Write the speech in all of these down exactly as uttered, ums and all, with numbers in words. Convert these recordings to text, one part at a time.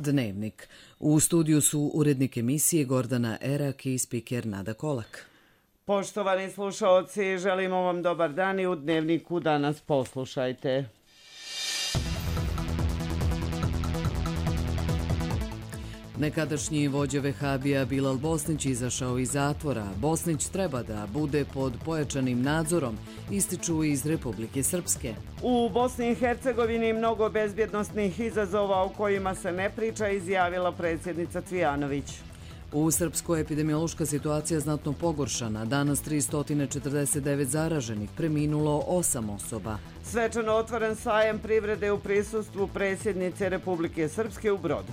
Dnevnik. U studiju su urednik emisije Gordana Erak i spiker Nada Kolak. Poštovani slušaoci, želimo vam dobar dan i u Dnevniku danas poslušajte. Nekadašnji vođa Vehabija Bilal Bosnić izašao iz zatvora. Bosnić treba da bude pod pojačanim nadzorom, ističu iz Republike Srpske. U Bosni i Hercegovini mnogo bezbjednosnih izazova o kojima se ne priča, izjavila predsjednica Cvijanović. U Srpskoj epidemiološka situacija znatno pogoršana. Danas tristo četrdeset devet zaraženih, preminulo osam osoba. Svečano otvoren sajem privrede u prisustvu predsjednice Republike Srpske u Brodu.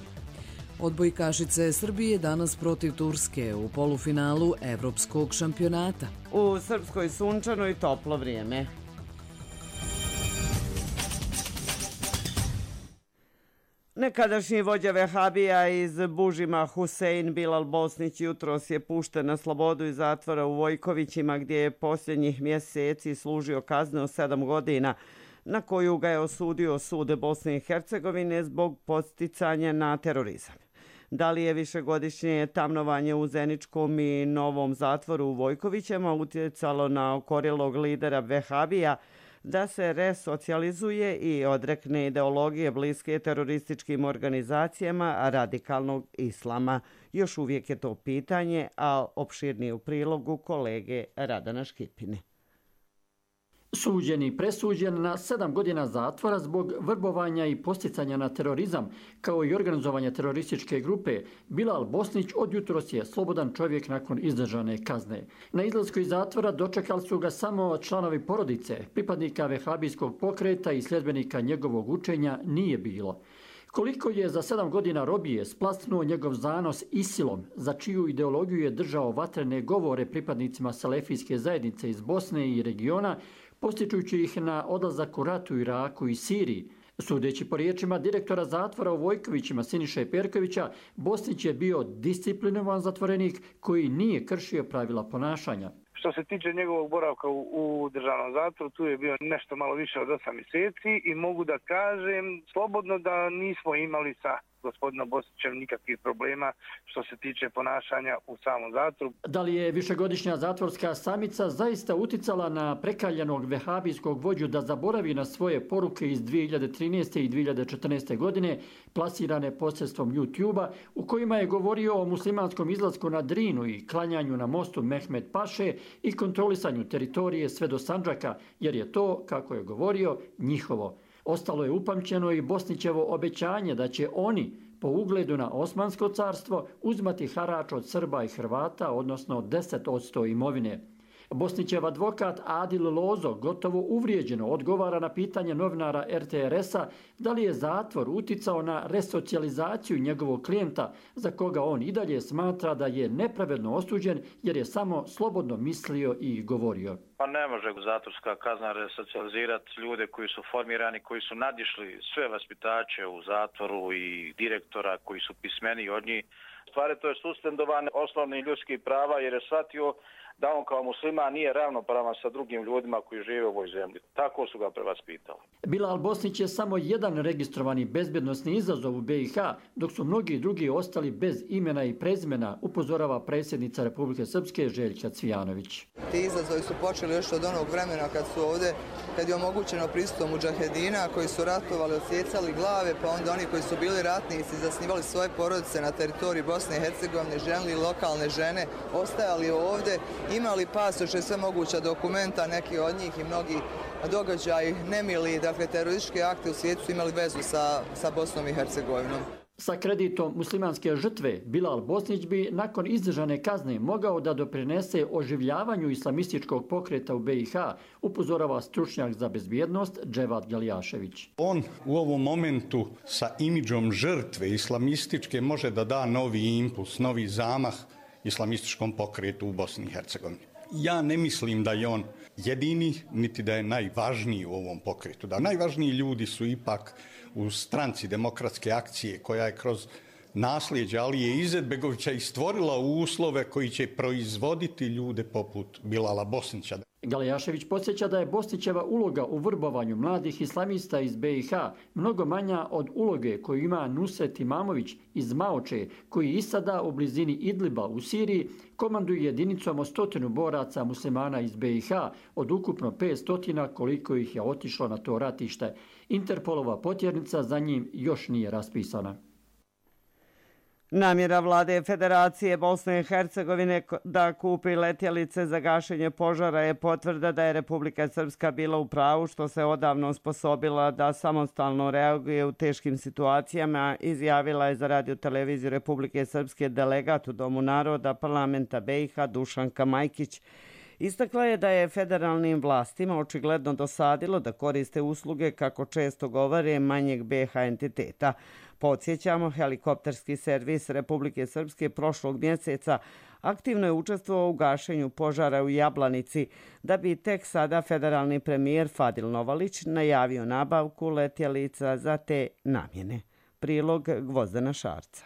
Odbojkašice Srbije danas protiv Turske u polufinalu Evropskog šampionata. U Srpskoj sunčano i toplo vrijeme. Nekadašnji vođa Vehabija iz Bužima Husein Bilal Bosnić jutros je pušten na slobodu iz zatvora u Vojkovićima, gdje je posljednjih mjeseci služio kaznu od sedam godina, na koju ga je osudio sud Bosne i Hercegovine zbog podsticanja na terorizam. Da li je višegodišnje tamnovanje u Zeničkom i Novom zatvoru u Vojkovićima utjecalo na okorjelog lidera Vehabija da se resocijalizuje i odrekne ideologije bliske terorističkim organizacijama radikalnog islama? Još uvijek je to pitanje, a opširnije u prilogu kolege Radana Škipine. Suđen i presuđen na sedam godina zatvora zbog vrbovanja i posticanja na terorizam, kao i organizovanja terorističke grupe, Bilal Bosnić od jutros je slobodan čovjek nakon izdržane kazne. Na izlasku iz zatvora dočekali su ga samo članovi porodice, pripadnika vehabijskog pokreta i sljedbenika njegovog učenja nije bilo. Koliko je za sedam godina robije splasnuo njegov zanos Isilom, za čiju ideologiju je držao vatrene govore pripadnicima salefijske zajednice iz Bosne i regiona, postičujući ih na odlazak u rat u Iraku i Siriji. Sudeći po riječima direktora zatvora u Vojkovićima Siniše Perkovića, Bosnić je bio disciplinovan zatvorenik koji nije kršio pravila ponašanja. Što se tiče njegovog boravka u, u državnom zatvoru, tu je bio nešto malo više od osam mjeseci i mogu da kažem slobodno da nismo imali sa gospodinom Bosnićem nikakvih problema što se tiče ponašanja u samom zatvoru. Da li je višegodišnja zatvorska samica zaista uticala na prekaljanog vehabijskog vođu da zaboravi na svoje poruke iz dvije hiljade trinaeste i dvije hiljade četrnaeste. godine, plasirane posredstvom YouTube-a, u kojima je govorio o muslimanskom izlasku na Drinu i klanjanju na mostu Mehmed Paše i kontrolisanju teritorije sve do Sandžaka, jer je to, kako je govorio, njihovo. Ostalo je upamćeno i Bosnićevo obećanje da će oni, po ugledu na Osmansko carstvo, uzmati harač od Srba i Hrvata, odnosno deset posto imovine. Bosnićev advokat Adil Lozo gotovo uvrijeđeno odgovara na pitanje novinara er te er es-a da li je zatvor uticao na resocijalizaciju njegovog klijenta, za koga on i dalje smatra da je nepravedno osuđen jer je samo slobodno mislio i govorio. Pa ne može zatvorska kazna resocijalizirati ljude koji su formirani, koji su nadišli sve vaspitače u zatvoru i direktora koji su pismeniji od njih. Stvari to je suspendovane osnovnih ljudskih prava jer je shvatio da on kao musliman nije ravnopravan sa drugim ljudima koji žive u ovoj zemlji. Tako su ga prevaspitali. Bilal Bosnić je samo jedan registrovani bezbjednosni izazov u be i ha, dok su mnogi drugi ostali bez imena i prezimena, upozorava predsjednica Republike Srpske Željka Cvijanović. Ti izazovi su počeli još od onog vremena kad su ovdje, kad je omogućeno pristup mudžahedina koji su ratovali, odsjecali glave, pa onda oni koji su bili ratnici, zasnivali svoje porodice na teritoriji Bosne i Hercegovine, ženili lokalne žene, ostajali ovdje, imali pasoše, sve moguća dokumenta, neki od njih i mnogi događaji nemili, dakle terorističke akte u svijetu su imali vezu sa, sa Bosnom i Hercegovinom. Sa kreditom muslimanske žrtve, Bilal Bosnić bi nakon izdržane kazne mogao da doprinese oživljavanju islamističkog pokreta u be i ha, upozorava stručnjak za bezbjednost Dževad Galjašević. On u ovom momentu sa imidžom žrtve islamističke može da da novi impuls, novi zamah islamističkom pokretu u Bosni i Hercegovini. Ja ne mislim da je on jedini, niti da je najvažniji u ovom pokretu. Da najvažniji ljudi su ipak u stranci Demokratske akcije, koja je kroz nasljeđe Alije Izetbegovića i stvorila uslove koji će proizvoditi ljude poput Bilala Bosnića. Galejašević podsjeća da je Bosnićeva uloga u vrbovanju mladih islamista iz B i H mnogo manja od uloge koju ima Nusret Imamović iz Maoče, koji i sada u blizini Idliba u Siriji komanduje jedinicom od stotinu boraca muslimana iz B i H od ukupno petsto koliko ih je otišlo na to ratište. Interpolova potjernica za njim još nije raspisana. Namjera vlade Federacije Bosne i Hercegovine da kupi letjelice za gašenje požara je potvrda da je Republika Srpska bila u pravu što se odavno osposobila da samostalno reaguje u teškim situacijama, izjavila je za radio televiziju Republike Srpske delegat u Domu naroda parlamenta B i H Dušanka Majkić. Istakla je da je federalnim vlastima očigledno dosadilo da koriste usluge, kako često govore, manjeg B i H entiteta. Podsjećamo, helikopterski servis Republike Srpske prošlog mjeseca aktivno je učestvovao u gašenju požara u Jablanici, da bi tek sada federalni premijer Fadil Novalić najavio nabavku letjelica za te namjene. Prilog Gvozdana Šarca.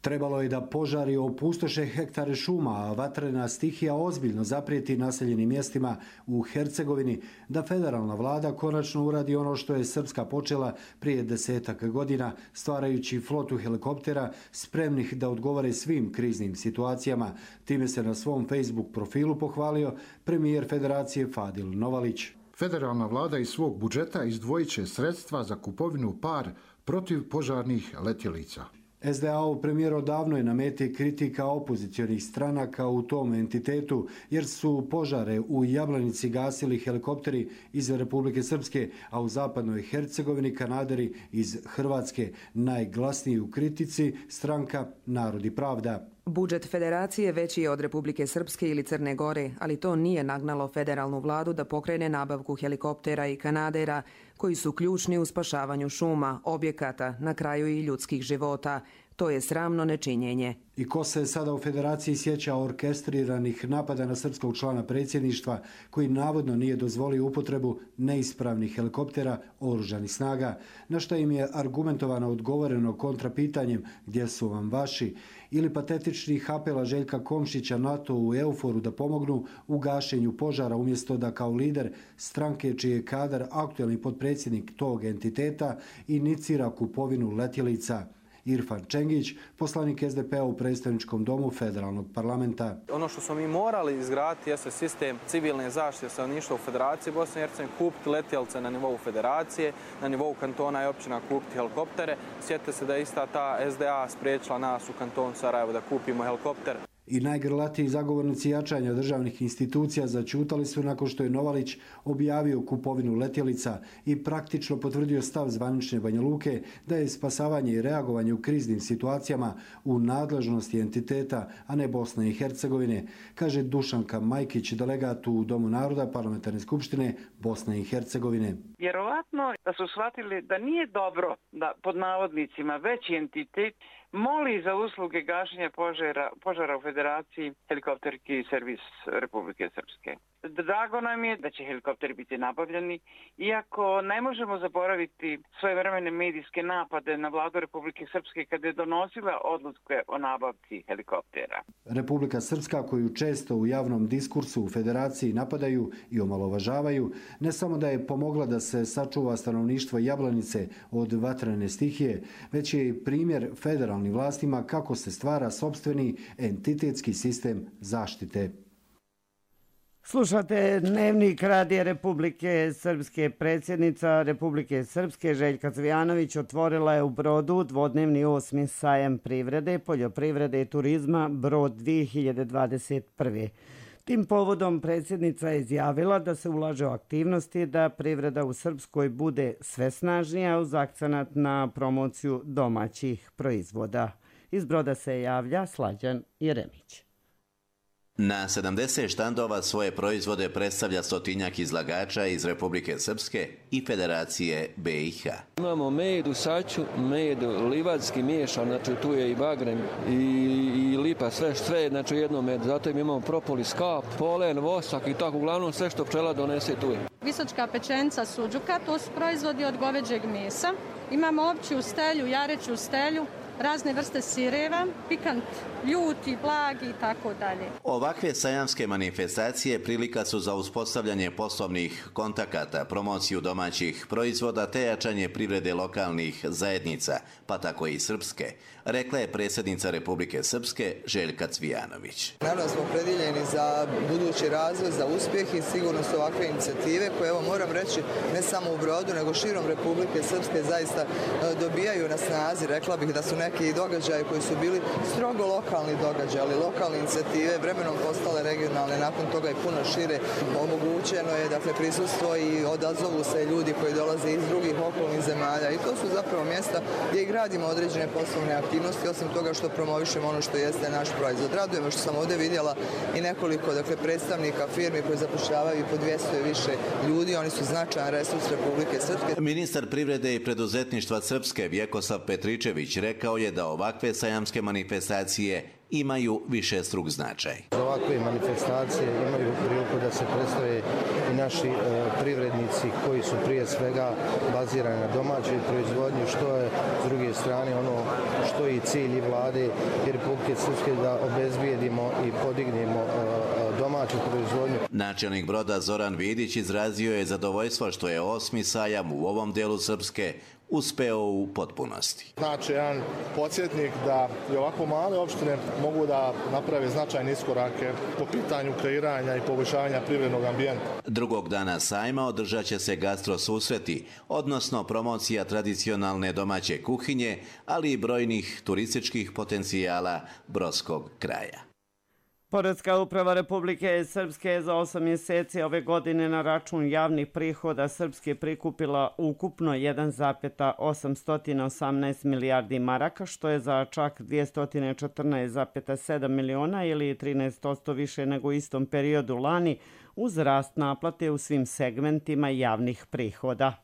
Trebalo je da požari opustoše hektare šuma, a vatrena stihija ozbiljno zaprijeti naseljenim mjestima u Hercegovini, da federalna vlada konačno uradi ono što je Srpska počela prije desetak godina, stvarajući flotu helikoptera spremnih da odgovore svim kriznim situacijama. Time se na svom Facebook profilu pohvalio premijer Federacije Fadil Novalić. Federalna vlada iz svog budžeta izdvojit će sredstva za kupovinu par protivpožarnih letjelica. S D A-ov premijer odavno je na meti kritika opozicionih stranaka u tom entitetu, jer su požare u Jablanici gasili helikopteri iz Republike Srpske, a u zapadnoj Hercegovini kanaderi iz Hrvatske. Najglasniji u kritici stranka Narod i pravda. Budžet federacije veći je od Republike Srpske ili Crne Gore, ali to nije nagnalo federalnu vladu da pokrene nabavku helikoptera i kanadera, koji su ključni u spašavanju šuma, objekata, na kraju i ljudskih života. To je sramno nečinjenje. I ko se sada u federaciji sjeća orkestriranih napada na srpskog člana predsjedništva, koji navodno nije dozvolio upotrebu neispravnih helikoptera oružanih snaga, na što im je argumentovano odgovoreno kontrapitanjem gdje su vam vaši, ili patetičnih apela Željka Komšića NATO u euforu da pomognu u gašenju požara, umjesto da kao lider stranke čiji je kadar aktuelni potpredsjednik tog entiteta inicira kupovinu letjelica. Irfan Čengić, poslanik S D P-a u predstavničkom domu federalnog parlamenta. Ono što smo mi morali izgraditi jeste sistem civilne zaštite stanovništva u Federaciji Bosne i Hercegovine, kupiti letjelice na nivou federacije, na nivou kantona i općina kupiti helikoptere. Sjetite se da je ista ta S D A spriječila nas u kantonu Sarajevo da kupimo helikopter. I najgrlatiji zagovornici jačanja državnih institucija začutali su nakon što je Novalić objavio kupovinu letjelica i praktično potvrdio stav zvanične Banja Luke da je spasavanje i reagovanje u kriznim situacijama u nadležnosti entiteta, a ne Bosne i Hercegovine, kaže Dušanka Majkić, delegat u Domu naroda Parlamentarne skupštine Bosne i Hercegovine. Vjerovatno da su shvatili da nije dobro da pod navodnicima veći entitet moli za usluge gašenja požara, požara u Federaciji helikopterski servis Republike Srpske. Drago nam je da će helikopteri biti nabavljeni, iako ne možemo zaboraviti svojevremene medijske napade na vladu Republike Srpske kada je donosila odluke o nabavci helikoptera. Republika Srpska, koju često u javnom diskursu u Federaciji napadaju i omalovažavaju, ne samo da je pomogla da se sačuva stanovništvo Jablanice od vatrene stihije, već je i primjer federalnim vlastima kako se stvara sopstveni entitetski sistem zaštite. Slušate Dnevnik Radija Republike Srpske. Predsjednica Republike Srpske Željka Cvijanović otvorila je u Brodu dvodnevni osmi sajam privrede, poljoprivrede i turizma Brod dvije hiljade dvadeset prve. Tim povodom predsjednica je izjavila da se ulaže u aktivnosti da privreda u Srpskoj bude sve snažnija uz akcenat na promociju domaćih proizvoda. Iz Broda se javlja Slađan Jeremić. Na sedamdeset štandova svoje proizvode predstavlja stotinjak izlagača iz Republike Srpske i Federacije B i H. Imamo medu, saču, medu, livadski miješan, znači tu je i bagrem i, i lipa, sve, sve znači jedno medu. Zato imamo propolis, kap, polen, vosak i tako, uglavnom sve što pčela donese tu je. Visočka pečenica suđuka, to su proizvodi od goveđeg mesa. Imamo opću stelju, jareću stelju, razne vrste sireva, pikant, ljuti, blagi i tako dalje. Ovakve sajamske manifestacije prilika su za uspostavljanje poslovnih kontakata, promociju domaćih proizvoda te jačanje privrede lokalnih zajednica, pa tako i srpske, rekla je predsjednica Republike Srpske Željka Cvijanović. Naravno smo predijeljeni za budući razvoj, za uspjeh i sigurno su ovakve inicijative koje, evo moram reći, ne samo u Brodu, nego širom Republike Srpske zaista dobijaju na snazi. Rekla bih da su neki događaji koji su bili strogo lokalni događaji, ali lokalne inicijative vremenom postale regionalne, nakon toga i puno šire. Omogućeno je dakle prisustvo i odazovu se ljudi koji dolaze iz drugih okolnih zemalja i to su zapravo mjesta gdje i gradimo određene poslovne aktivnosti, osim toga što promovišemo ono što jeste naš proizvod. Raduje me što sam ovdje vidjela i nekoliko dakle, predstavnika firmi koji zapošljavaju po dvjesto i više ljudi, oni su značajan resurs Republike Srpske. Ministar privrede i preduzetništva Srpske Vjekoslav Petričević rekao je da ovakve sajamske manifestacije imaju višestruk značaj. Za ovakve manifestacije imaju priliku da se predstave i naši e, privrednici koji su prije svega bazirani na domaćoj proizvodnji, što je s druge strane ono što je i cilj i vlade i Republike Srpske da obezbijedimo i podignemo e, domaću proizvodnju. Načelnik Broda Zoran Vidić izrazio je zadovoljstvo što je osmi sajam u ovom delu Srpske uspeo u potpunosti. Znači, jedan podsjetnik da i ovako male opštine mogu da naprave značajne iskorake po pitanju kreiranja i poboljšavanja privrednog ambijenta. Drugog dana sajma održat će se gastro susreti, odnosno promocija tradicionalne domaće kuhinje, ali i brojnih turističkih potencijala brodskog kraja. Poreska uprava Republike Srpske za osam mjeseci ove godine na račun javnih prihoda Srpske prikupila ukupno jedan zarez osamsto osamnaest milijardi maraka, što je za čak dvjesto četrnaest zarez sedam miliona ili trinaest posto više nego u istom periodu lani, uz rast naplate u svim segmentima javnih prihoda.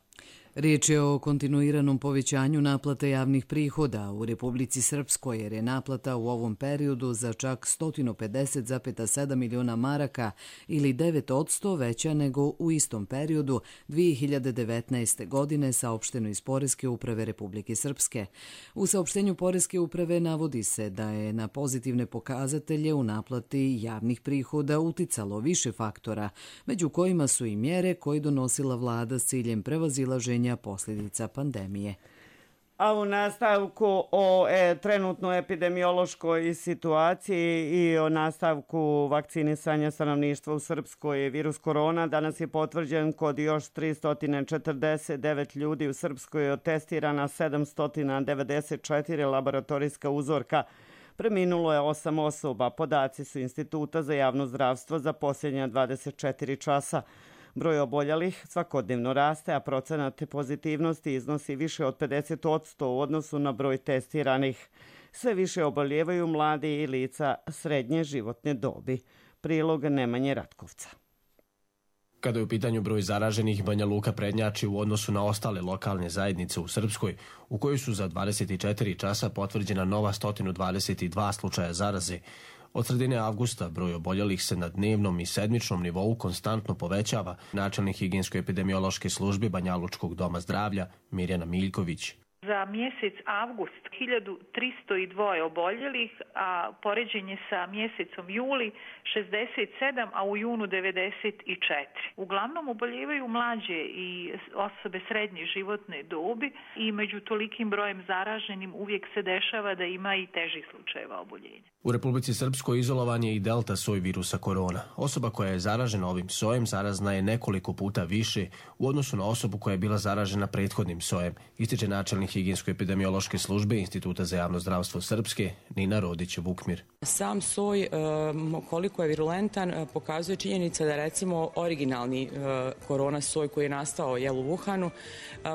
Riječ je o kontinuiranom povećanju naplate javnih prihoda u Republici Srpskoj, jer je naplata u ovom periodu za čak sto pedeset zarez sedam miliona maraka ili devet posto veća nego u istom periodu dvije hiljade devetnaeste. godine, saopšteno iz Poreske uprave Republike Srpske. U saopštenju Poreske uprave navodi se da je na pozitivne pokazatelje u naplati javnih prihoda uticalo više faktora, među kojima su i mjere koje donosila vlada s ciljem prevazilaženja posljedica pandemije. A u nastavku o e, trenutnoj epidemiološkoj situaciji i o nastavku vakcinisanja stanovništva u Srpskoj virus korona danas je potvrđen kod još tristo četrdeset devet ljudi. U Srpskoj je testirana sedamsto devedeset četiri laboratorijska uzorka. Preminulo je osam osoba. Podaci su Instituta za javno zdravstvo za posljednja dvadeset četiri časa. Broj oboljelih svakodnevno raste, a procenat pozitivnosti iznosi više od pedeset posto u odnosu na broj testiranih. Sve više oboljevaju mladi i lica srednje životne dobi. Prilog Nemanje Ratkovca. Kada je u pitanju broj zaraženih, Banja Luka prednjači u odnosu na ostale lokalne zajednice u Srpskoj, u kojoj su za dvadeset četiri časa potvrđena nova sto dvadeset dva slučaja zaraze. Od sredine avgusta broj oboljelih se na dnevnom i sedmičnom nivou konstantno povećava. Načelnik higijensko-epidemiološke službe Banjalučkog doma zdravlja Mirjana Miljković. Za mjesec avgust hiljadu tristo dva oboljelih, a poređenje sa mjesecom juli šezdeset sedam, a u junu devedeset četiri. Uglavnom oboljevaju mlađe i osobe srednje životne dobi i među tolikim brojem zaraženim uvijek se dešava da ima i težih slučajeva oboljenja. U Republici Srpskoj izolovan je i delta soj virusa korona. Osoba koja je zaražena ovim sojem zarazna je nekoliko puta više u odnosu na osobu koja je bila zaražena prethodnim sojem, ističe načelnik higijensko-epidemiološke službe Instituta za javno zdravstvo Srpske Nina Rodić-Vukmir. Sam soj, koliko je virulentan, pokazuje činjenica da recimo originalni korona soj koji je nastao jel, u Wuhanu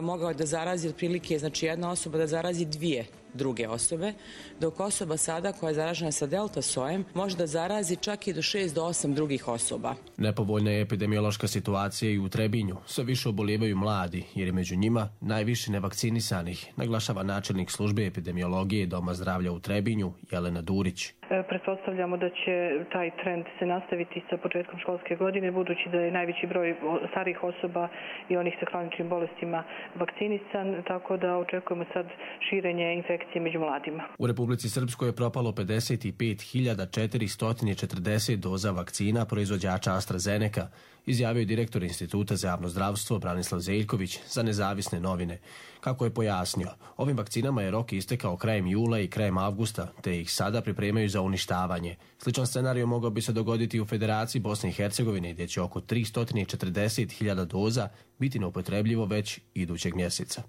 mogao da zarazi otprilike, znači jedna osoba da zarazi dvije druge osobe, dok osoba sada koja je zaražena sa delta sojem može da zarazi čak i do šest do osam drugih osoba. Nepovoljna je epidemiološka situacija i u Trebinju. Sve više obolijevaju mladi, jer je među njima najviše nevakcinisanih, naglašava načelnik službe epidemiologije Doma zdravlja u Trebinju Jelena Durić. Pretpostavljamo da će taj trend se nastaviti sa početkom školske godine, budući da je najveći broj starijih osoba i onih sa kroničnim bolestima vakcinisan, tako da očekujemo sad širenje infekcije među mladima. U Republici Srpskoj je propalo pedeset pet hiljada četiristo četrdeset doza vakcina proizvođača AstraZeneca, izjavio je direktor Instituta za javno zdravstvo Branislav Zeljković za Nezavisne novine. Kako je pojasnio, ovim vakcinama je rok istekao krajem jula i krajem avgusta, te ih sada pripremaju za uništavanje. Sličan scenarij mogao bi se dogoditi u Federaciji Bosne i Hercegovine, gdje će oko tristo četrdeset hiljada doza biti neupotrebljivo već idućeg mjeseca.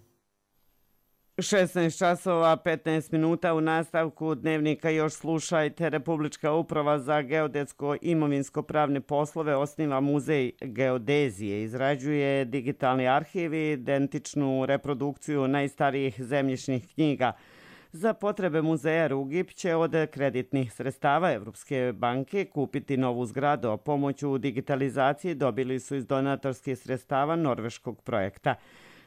šesnaest časova petnaest minuta u nastavku dnevnika još slušajte. Republička uprava za geodetsko imovinsko pravne poslove osniva muzej geodezije, izrađuje digitalni arhiv i identičnu reprodukciju najstarijih zemljišnih knjiga. Za potrebe muzeja Rugip će od kreditnih sredstava Evropske banke kupiti novu zgradu, a pomoć u digitalizaciji dobili su iz donatorskih sredstava norveškog projekta.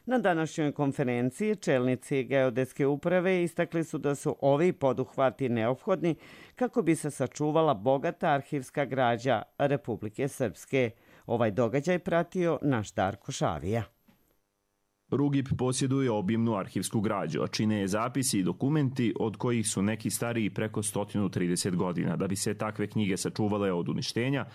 Na današnjoj konferenciji čelnici geodetske uprave istakli su da su ovi poduhvati neophodni kako bi se sačuvala bogata arhivska građa Republike Srpske. Ovaj događaj pratio naš Darko Šavija. Rugip posjeduje obimnu arhivsku građu, a čine je zapisi i dokumenti od kojih su neki stariji preko sto trideset godina. Da bi se takve knjige sačuvale od uništenja,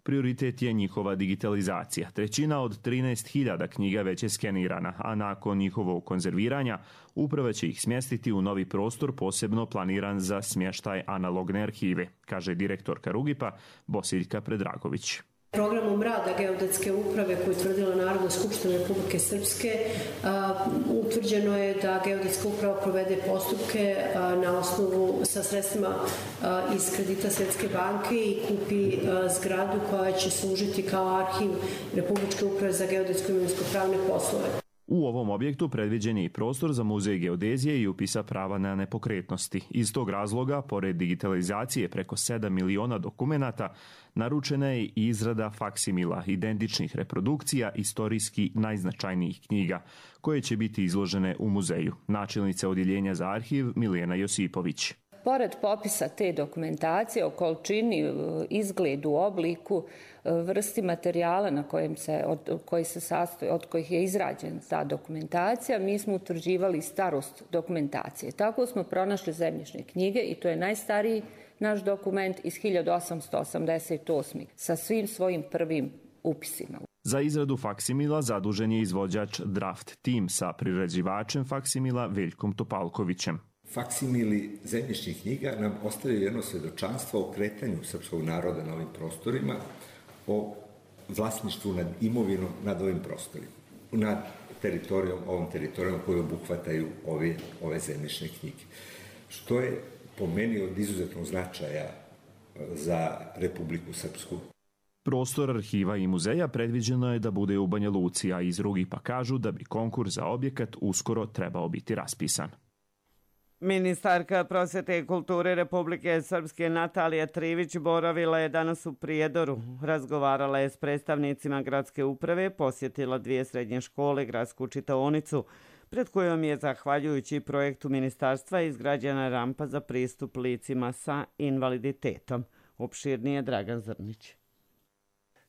prioritet je njihova digitalizacija. Trećina od trinaest hiljada knjiga već je skenirana, a nakon njihovog konzerviranja uprava će ih smjestiti u novi prostor posebno planiran za smještaj analogne arhive, kaže direktorka Rugipa Bosiljka Predragović. Programom rada geodetske uprave koju je utvrdila Narodna skupština Republike Srpske utvrđeno je da geodetska uprava provede postupke na osnovu sa sredstvima iz kredita Svjetske banke i kupi zgradu koja će služiti kao arhiv Republičke uprave za geodetsko imovinsko pravne poslove. U ovom objektu predviđen je i prostor za muzej geodezije i upisa prava na nepokretnosti. Iz tog razloga, pored digitalizacije preko sedam miliona dokumenata, naručena je i izrada faksimila, identičnih reprodukcija istorijski najznačajnijih knjiga, koje će biti izložene u muzeju. Načelnica odjeljenja za arhiv Milijana Josipović. Pored popisa te dokumentacije o količini, izgledu, obliku, vrsti materijala na kojem se, od, koji se sastoji, od kojih je izrađena ta dokumentacija, mi smo utvrđivali starost dokumentacije. Tako smo pronašli zemljišne knjige i to je najstariji naš dokument iz hiljadu osamsto osamdeset osme. sa svim svojim prvim upisima. Za izradu faksimila zadužen je izvođač Draft Team sa priređivačem faksimila Veljkom Topalkovićem. Faksimili zemljišnih knjiga nam ostavljaju jedno svjedočanstvo o kretanju srpskog naroda na ovim prostorima, o vlasništvu nad imovinom nad ovim prostorima, nad teritorijom, ovom teritorijom koju obuhvataju ove, ove zemljišne knjige. Što je po meni od izuzetnog značaja za Republiku Srpsku. Prostor arhiva i muzeja predviđeno je da bude u Banja Luci, a iz Rugipa kažu da bi konkurs za objekat uskoro trebao biti raspisan. Ministarka prosvete i kulture Republike Srpske Natalija Trivić boravila je danas u Prijedoru. Razgovarala je s predstavnicima gradske uprave, posjetila dvije srednje škole, gradsku čitaonicu, pred kojom je, zahvaljujući projektu ministarstva, izgrađena rampa za pristup licima sa invaliditetom. Opširnije Dragan Zrnić.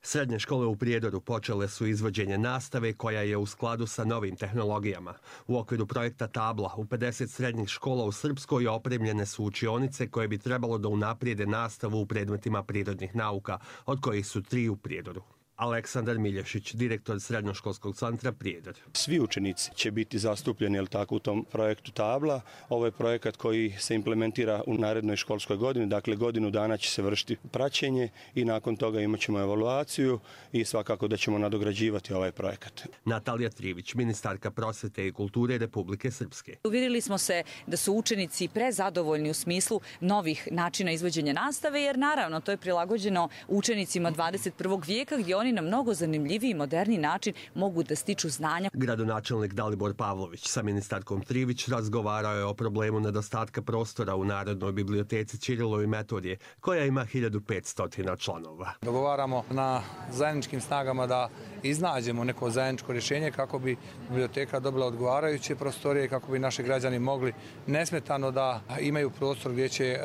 Srednje škole u Prijedoru počele su izvođenje nastave koja je u skladu sa novim tehnologijama. U okviru projekta Tabla u pedeset srednjih škola u Srpskoj opremljene su učionice koje bi trebalo da unaprijede nastavu u predmetima prirodnih nauka, od kojih su tri u Prijedoru. Aleksandar Milješić, direktor Srednjoškolskog centra Prijedor. Svi učenici će biti zastupljeni jel tako, u tom projektu Tabla. Ovo je projekat koji se implementira u narednoj školskoj godini, dakle godinu dana će se vršiti praćenje i nakon toga imat ćemo evaluaciju i svakako da ćemo nadograđivati ovaj projekat. Natalija Trivić, ministarka prosvete i kulture Republike Srpske. Uvjerili smo se da su učenici prezadovoljni u smislu novih načina izvođenja nastave, jer naravno to je prilagođeno učenicima dvadeset prvog vijeka gdje oni oni na mnogo zanimljiviji i moderni način mogu da stiču znanja. Gradonačelnik Dalibor Pavlović sa ministarkom Trivić razgovarao je o problemu nedostatka prostora u Narodnoj biblioteci Ćirilo i Metodije, koja ima hiljadu petsto članova. Dogovaramo na zajedničkim snagama da iznađemo neko zajedničko rješenje kako bi biblioteka dobila odgovarajuće prostorije i kako bi naši građani mogli nesmetano da imaju prostor gdje će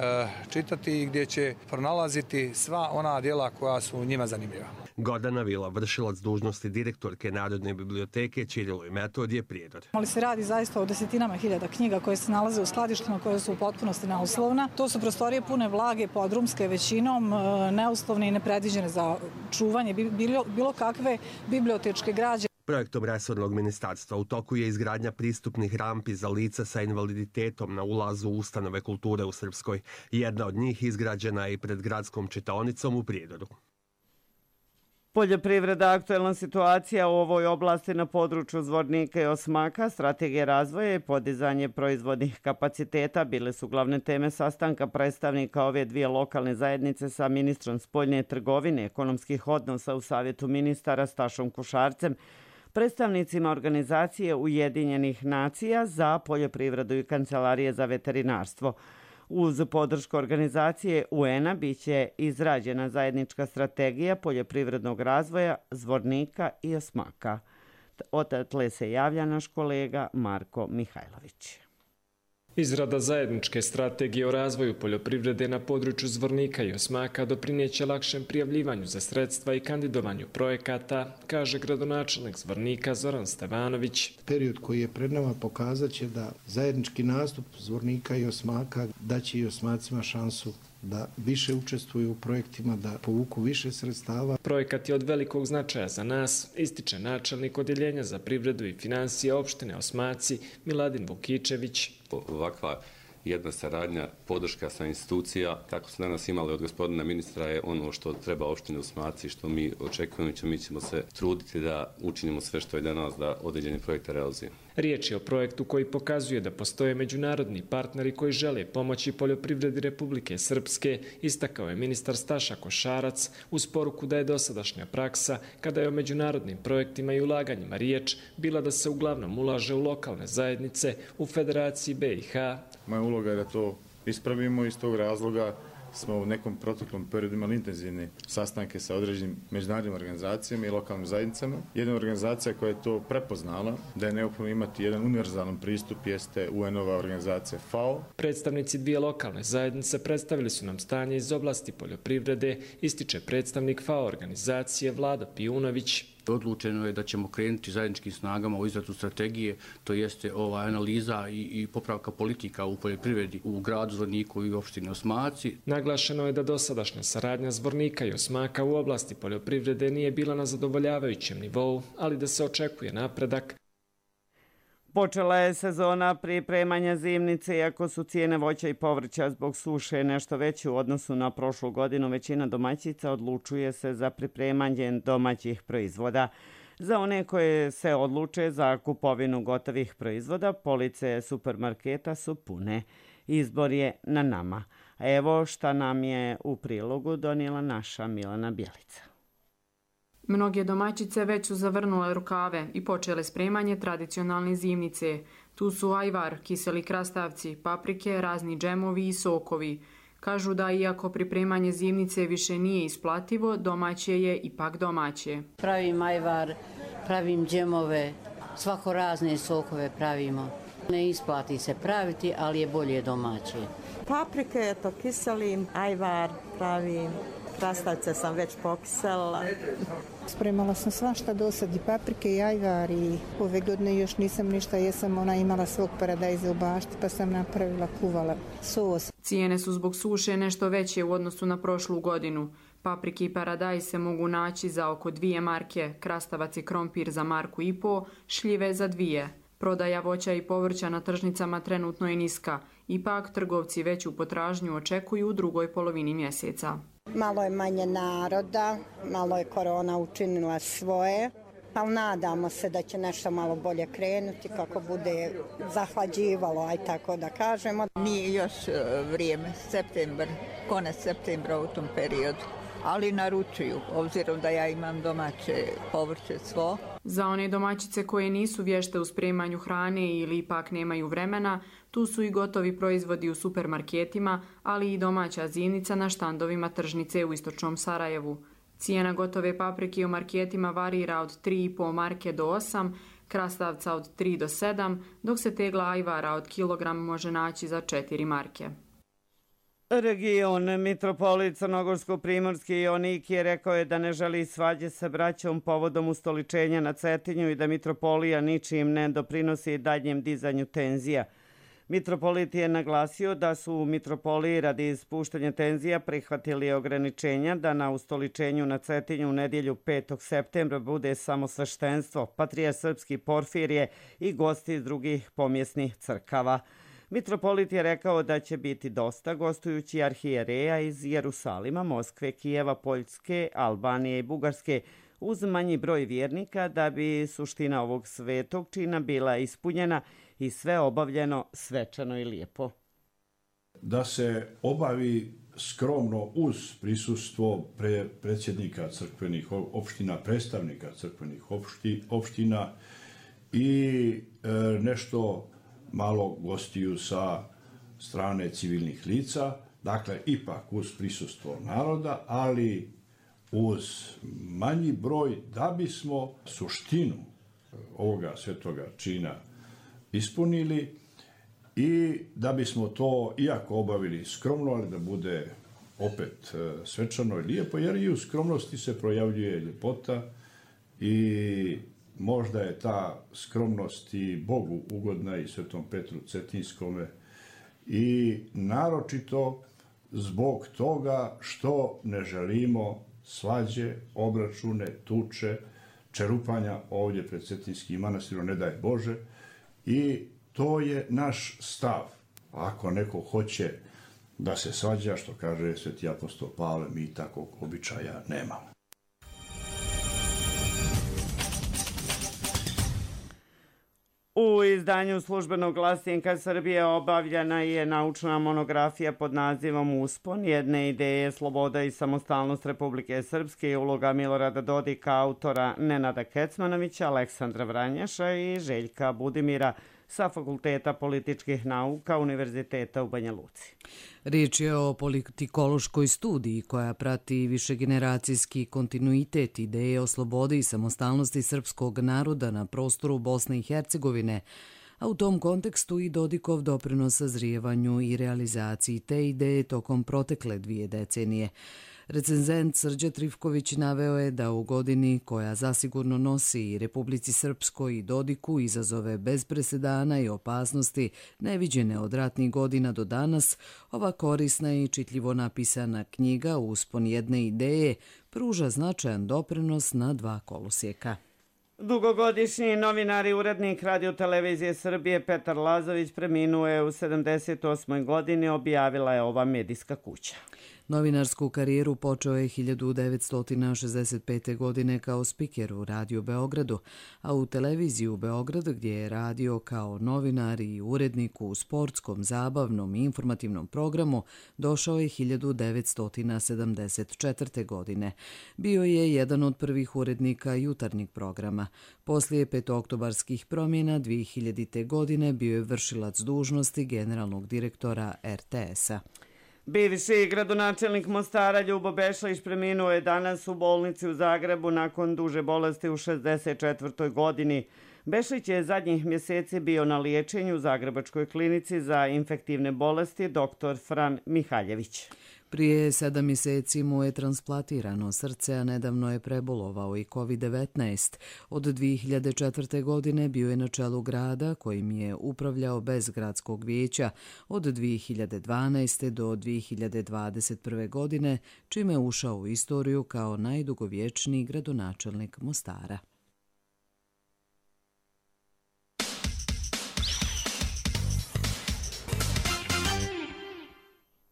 čitati i gdje će pronalaziti sva ona djela koja su njima zanimljiva. Gordana Vila, vršilac dužnosti direktorke Narodne biblioteke Ćirilo i Metodije, Prijedor. Ali se radi zaista o desetinama hiljada knjiga koje se nalaze u skladištima koje su u potpunosti neuslovna. To su prostorije pune vlage, podrumske većinom, neuslovne i nepredviđene za čuvanje bilo, bilo kakve bibliotečke građe. Projektom resornog ministarstva u toku je izgradnja pristupnih rampi za lica sa invaliditetom na ulazu u ustanove kulture u Srpskoj. Jedna od njih izgrađena je i pred gradskom čitaonicom u Prijedoru. Poljoprivreda, aktuelna situacija u ovoj oblasti na području Zvornika i Osmaka, strategija razvoja i podizanje proizvodnih kapaciteta bile su glavne teme sastanka predstavnika ove dvije lokalne zajednice sa ministrom spoljne trgovine, ekonomskih odnosa u Savjetu ministara Stašom Kušarcem, predstavnicima organizacije Ujedinjenih nacija za poljoprivredu i Kancelarije za veterinarstvo. Uz podršku organizacije U N-a biće izrađena zajednička strategija poljoprivrednog razvoja Zvornika i Osmaka. Odatle se javlja naš kolega Marko Mihajlović. Izrada zajedničke strategije o razvoju poljoprivrede na području Zvornika i Osmaka doprineće lakšem prijavljivanju za sredstva i kandidovanju projekata, kaže gradonačelnik Zvornika Zoran Stevanović. Period koji je pred nama pokazat će da zajednički nastup Zvornika i Osmaka daće i Osmacima šansu da više učestvuju u projektima, da povuku više sredstava. Projekat je od velikog značaja za nas, ističe načelnik Odjeljenja za privredu i financije opštine Osmaci Miladin Vukičević. Ovakva jedna saradnja, podrška sa institucija, kako smo danas imali od gospodina ministra, je ono što treba opštine Osmaci, što mi očekujemo i mi ćemo se truditi da učinimo sve što je danas da određeni projekte realizujemo. Riječ je o projektu koji pokazuje da postoje međunarodni partneri koji žele pomoći poljoprivredi Republike Srpske, istakao je ministar Staša Košarac uz poruku da je dosadašnja praksa, kada je o međunarodnim projektima i ulaganjima riječ, bila da se uglavnom ulaže u lokalne zajednice u Federaciji B i H. Moja uloga je da to ispravimo i iz tog razloga smo u nekom proteklom periodu imali intenzivne sastanke sa određenim međunarodnim organizacijama i lokalnim zajednicama. Jedna organizacija koja je to prepoznala da je neophodno imati jedan univerzalan pristup jeste U N-ova organizacija F A O. Predstavnici dvije lokalne zajednice predstavili su nam stanje iz oblasti poljoprivrede, ističe predstavnik F A O organizacije Vlado Pijunović. Odlučeno je da ćemo krenuti zajedničkim snagama u izradu strategije, to jeste ova analiza i, i popravka politika u poljoprivredi u gradu Zvorniku i opštini Osmaci. Naglašeno je da dosadašnja saradnja Zvornika i Osmaka u oblasti poljoprivrede nije bila na zadovoljavajućem nivou, ali da se očekuje napredak. Počela je sezona pripremanja zimnice, iako su cijene voća i povrća zbog suše nešto veće u odnosu na prošlu godinu. Većina domaćica odlučuje se za pripremanje domaćih proizvoda. Za one koje se odluče za kupovinu gotovih proizvoda, police supermarketa su pune. Izbor je na nama. Evo šta nam je u prilogu donijela naša Milana Bjelica. Mnoge domaćice već su zavrnule rukave i počele spremanje tradicionalne zimnice. Tu su ajvar, kiseli krastavci, paprike, razni džemovi i sokovi. Kažu da iako pripremanje zimnice više nije isplativo, domaće je ipak domaće. Pravim ajvar, pravim džemove, svako razne sokove pravimo. Ne isplati se praviti, ali je bolje domaće. Paprike, to kiselim, ajvar pravim. Krastavce sam već pokisela. Spremala sam svašta do sad, i paprike i ajvar, i ove godine još nisam ništa, jesam ona imala svog paradajza u bašti pa sam napravila, kuvala sos. Cijene su zbog suše nešto veće u odnosu na prošlu godinu. Paprike i paradajz se mogu naći za oko dvije marke, krastavac i krompir za marku i po, šljive za dvije. Prodaja voća i povrća na tržnicama trenutno je niska, ipak trgovci veću potražnju očekuju u drugoj polovini mjeseca. Malo je manje naroda, malo je korona učinila svoje, ali nadamo se da će nešto malo bolje krenuti kako bude zahlađivalo, aj tako da kažemo. Nije još vrijeme, septembar, konec septembra u tom periodu. ali naručuju, obzirom da ja imam domaće povrće svo. Za one domaćice koje nisu vješte u spremanju hrane ili ipak nemaju vremena, tu su i gotovi proizvodi u supermarketima, ali i domaća zimnica na štandovima tržnice u istočnom Sarajevu. Cijena gotove paprike u marketima varira od tri i po marke do osam, krastavca od tri do sedam, dok se tegla ajvara od kilogram može naći za četiri marke. Region mitropolit Crnogorsko-Primorski Jonik je rekao je da ne želi svađe sa braćom povodom ustoličenja na Cetinju i da mitropolija ničim ne doprinosi daljnjem dizanju tenzija. Mitropolit je naglasio da su u mitropoliji radi spuštanja tenzija prihvatili ograničenja da na ustoličenju na Cetinju u nedjelju petog septembra bude samo sveštenstvo, patrijarh srpski Porfirije i gosti iz drugih pomjesnih crkava. Mitropolit je rekao da će biti dosta gostujući arhijereja iz Jerusalima, Moskve, Kijeva, Poljske, Albanije i Bugarske, uz manji broj vjernika da bi suština ovog svetog čina bila ispunjena i sve obavljeno svečano i lijepo. Da se obavi skromno uz prisustvo pre, predsjednika crkvenih opština, predstavnika crkvenih opšti, opština i e, nešto malo gostiju sa strane civilnih lica, dakle ipak uz prisustvo naroda, ali uz manji broj da bismo suštinu ovoga svetoga čina ispunili i da bismo to, iako obavili skromno, ali da bude opet svečano i lijepo, jer i u skromnosti se projavljuje ljepota i možda je ta skromnost i Bogu ugodna i Svetom Petru Cetinskome i naročito zbog toga što ne želimo svađe, obračune, tuče, čerupanja ovdje pred Cetinskim manastirom, ne daj Bože, i to je naš stav. Ako neko hoće da se svađa, što kaže sveti apostol Pavle, mi takvog običaja nemamo. U izdanju službenog glasnika Srbije obavljena je naučna monografija pod nazivom Uspon, jedne ideje, sloboda i samostalnost Republike Srpske i uloga Milorada Dodika, autora Nenada Kecmanovića, Aleksandra Vranjaša i Željka Budimira sa Fakulteta političkih nauka Univerziteta u Banja Luci. Riječ je o politikološkoj studiji koja prati višegeneracijski kontinuitet ideje o slobodi i samostalnosti srpskog naroda na prostoru Bosne i Hercegovine, a u tom kontekstu i Dodikov doprinos sazrijevanju i realizaciji te ideje tokom protekle dvije decenije. Recenzent Srđa Trifković naveo je da u godini koja zasigurno nosi i Republici Srpskoj i Dodiku izazove bez presedana i opasnosti neviđene od ratnih godina do danas, ova korisna i čitljivo napisana knjiga Uspon jedne ideje pruža značajan doprinos na dva kolosijeka. Dugogodišnji novinar i urednik Radio-televizije Srbije Petar Lazović preminuo je u sedamdeset osmoj godini, objavila je ova medijska kuća. Novinarsku karijeru počeo je hiljadu devetsto šezdeset pete. godine kao spiker u Radio Beogradu, a u televiziju u Beogradu gdje je radio kao novinar i urednik u sportskom, zabavnom i informativnom programu došao je hiljadu devetsto sedamdeset četvrte. godine. Bio je jedan od prvih urednika jutarnjeg programa. Poslije petooktobarskih promjena dvije hiljadite. godine bio je vršilac dužnosti generalnog direktora er te esa. Bivši gradonačelnik Mostara Ljubo Bešlić preminuo je danas u bolnici u Zagrebu nakon duže bolesti u šezdeset četvrtoj. godini. Bešlić je zadnjih mjeseci bio na liječenju u Zagrebačkoj klinici za infektivne bolesti doktor Fran Mihaljević. Prije sedam mjeseci mu je transplantirano srce, a nedavno je prebolovao i kovid devetnaest. Od dvije hiljade četvrte. godine bio je na čelu grada kojim je upravljao bez gradskog vijeća od dvije hiljade dvanaeste. do dvije hiljade dvadeset prve. godine, čime je ušao u istoriju kao najdugovječniji gradonačelnik Mostara.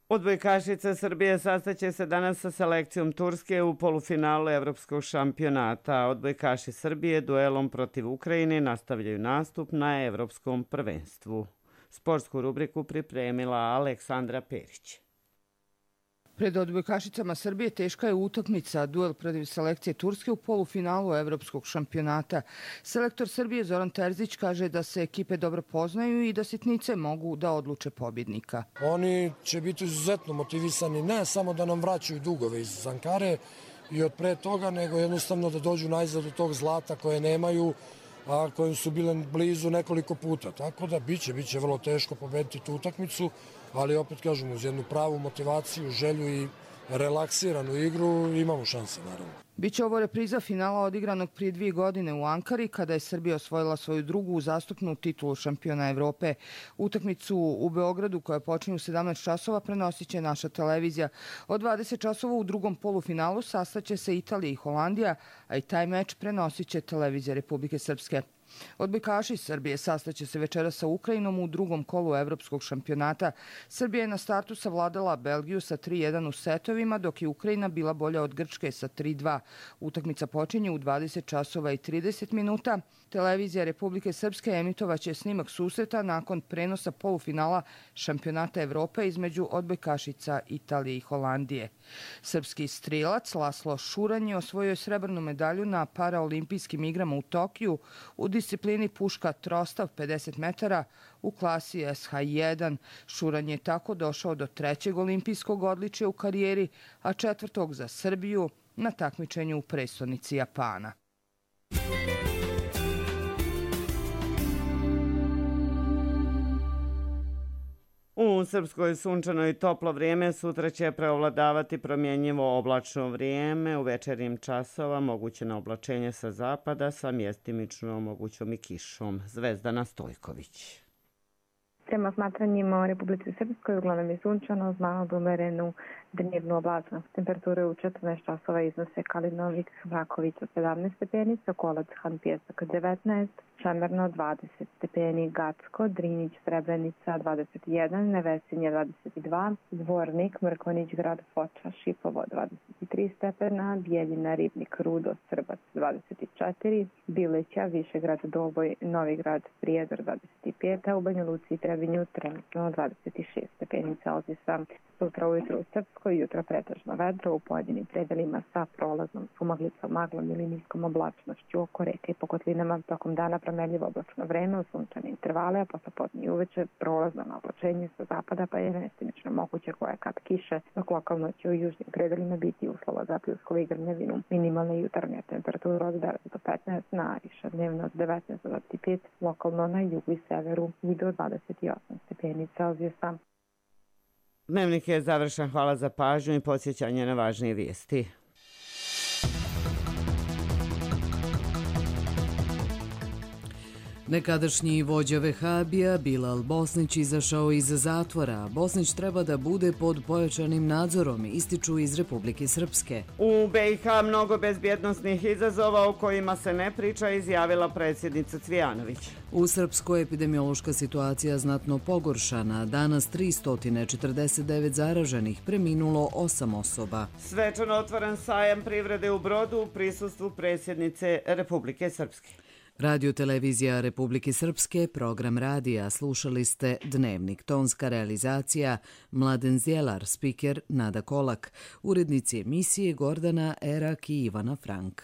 Odbojkašica Srbije sastaće se danas sa selekcijom Turske u polufinalu evropskog šampionata. Odbojkaši Srbije duelom protiv Ukrajine nastavljaju nastup na evropskom prvenstvu. Sportsku rubriku pripremila Aleksandra Perić. Pred odbojkašicama Srbije teška je utakmica, duel protiv selekcije Turske u polufinalu evropskog šampionata. Selektor Srbije Zoran Terzić kaže da se ekipe dobro poznaju i da sitnice mogu da odluče pobjednika. Oni će biti izuzetno motivisani, ne samo da nam vraćaju dugove iz Ankare i od pre toga, nego jednostavno da dođu najzad do tog zlata koje nemaju, a kojim su bile blizu nekoliko puta. Tako da biće, biće vrlo teško pobediti tu utakmicu, ali opet kažem, uz jednu pravu motivaciju, želju i relaksiranu igru imamo šanse, naravno. Biće ovo repriza finala odigranog prije dvije godine u Ankari, kada je Srbija osvojila svoju drugu uzastopnu titulu šampiona Evrope. Utakmicu u Beogradu, koja počinje u sedamnaest časova, prenosit će naša televizija. Od dvadeset časova u drugom polufinalu sastaće se Italija i Holandija, a i taj meč prenosit će televizija Republike Srpske. Odbojkaši Srbije sastaće se večeras sa Ukrajinom u drugom kolu evropskog šampionata. Srbija je na startu savladala Belgiju sa tri jedan u setovima, dok je Ukrajina bila bolja od Grčke sa tri dva. Utakmica počinje u dvadeset časova i trideset minuta. Televizija Republike Srpske emitovaće snimak susreta nakon prenosa polufinala šampionata Evrope između odbojkašica Italije i Holandije. Srpski strilac Laslo Šuranj je osvojio srebrnu medalju na paraolimpijskim igrama u Tokiju u disciplini puška trostav pedeset metara u klasi S H jedan. Šuranj je tako došao do trećeg olimpijskog odličja u karijeri, a četvrtog za Srbiju na takmičenju u prestonici Japana. U Srpskoj sunčano i toplo vrijeme, sutra će preovladavati promjenjivo oblačno vrijeme. U večernjim časova moguće oblačenje sa zapada sa mjestimično mogućom i kišom. Zvezdana Stojković. Prema smatranjima u Republici Srpskoj uglavnom je sunčano uz malo umerenu dnevnu oblačnost. Temperature u četrnaest časova iznose Kalinovik, Vrakovica sedamnaest stepeni, Sokolac, Han Pjesak devetnaest, Šemerno dvadeset stepeni, Gacko, Drinić, Srebrenica dvadeset jedan, Nevesinje dvadeset dva, Zvornik, Mrkonić, Grad Foča, Šipovo dvadeset tri stepena, Bijeljina, Ribnik, Rudo, Srbac dvadeset četiri, Bileća, Višegrad, Doboj, Novigrad, Prijedor dvadeset pet, a u Banja Luci i Trebinju trenutno dvadeset šest stepeni Celzijusa. Sutra ujutro u Srpskoj, jutro pretežno vedro u pojedinim predelima sa prolaznom sumaglicom, maglom ili niskom oblačnošću oko reke i po kotlinama. Tokom dana promenljivo oblačno vreme u sunčane intervale, a posle podne i uveče prolazno na oblačenje sa zapada pa je mestimično moguće kojekad kiše, dok lokalno će u južnim predelima biti uslova za pljuskovu i grmljavinu. Minimalna jutarnja temperatura od devet do petnaest, nariša dnevno od devetnaest do dvadeset pet, lokalno na jugu i severu i do dvadeset osam stepeni Celzijusa. Dnevnik je završen, hvala za pažnju i podsjećanje na važnije vijesti. Nekadašnji vođa Vehabija Bilal Bosnić izašao iz zatvora. Bosnić treba da bude pod pojačanim nadzorom, ističu iz Republike Srpske. U B i H mnogo bezbjednosnih izazova o kojima se ne priča, izjavila predsjednica Cvijanović. U Srpskoj epidemiološka situacija znatno pogoršana. Danas tristo četrdeset devet zaraženih, preminulo osam osoba. Svečano otvoren sajam privrede u Brodu u prisustvu predsjednice Republike Srpske. Radio televizija Republike Srpske, program radija, slušali ste Dnevnik, tonska realizacija Mladen Zjelar, spiker Nada Kolak, urednici emisije Gordana Erak i Ivana Frank.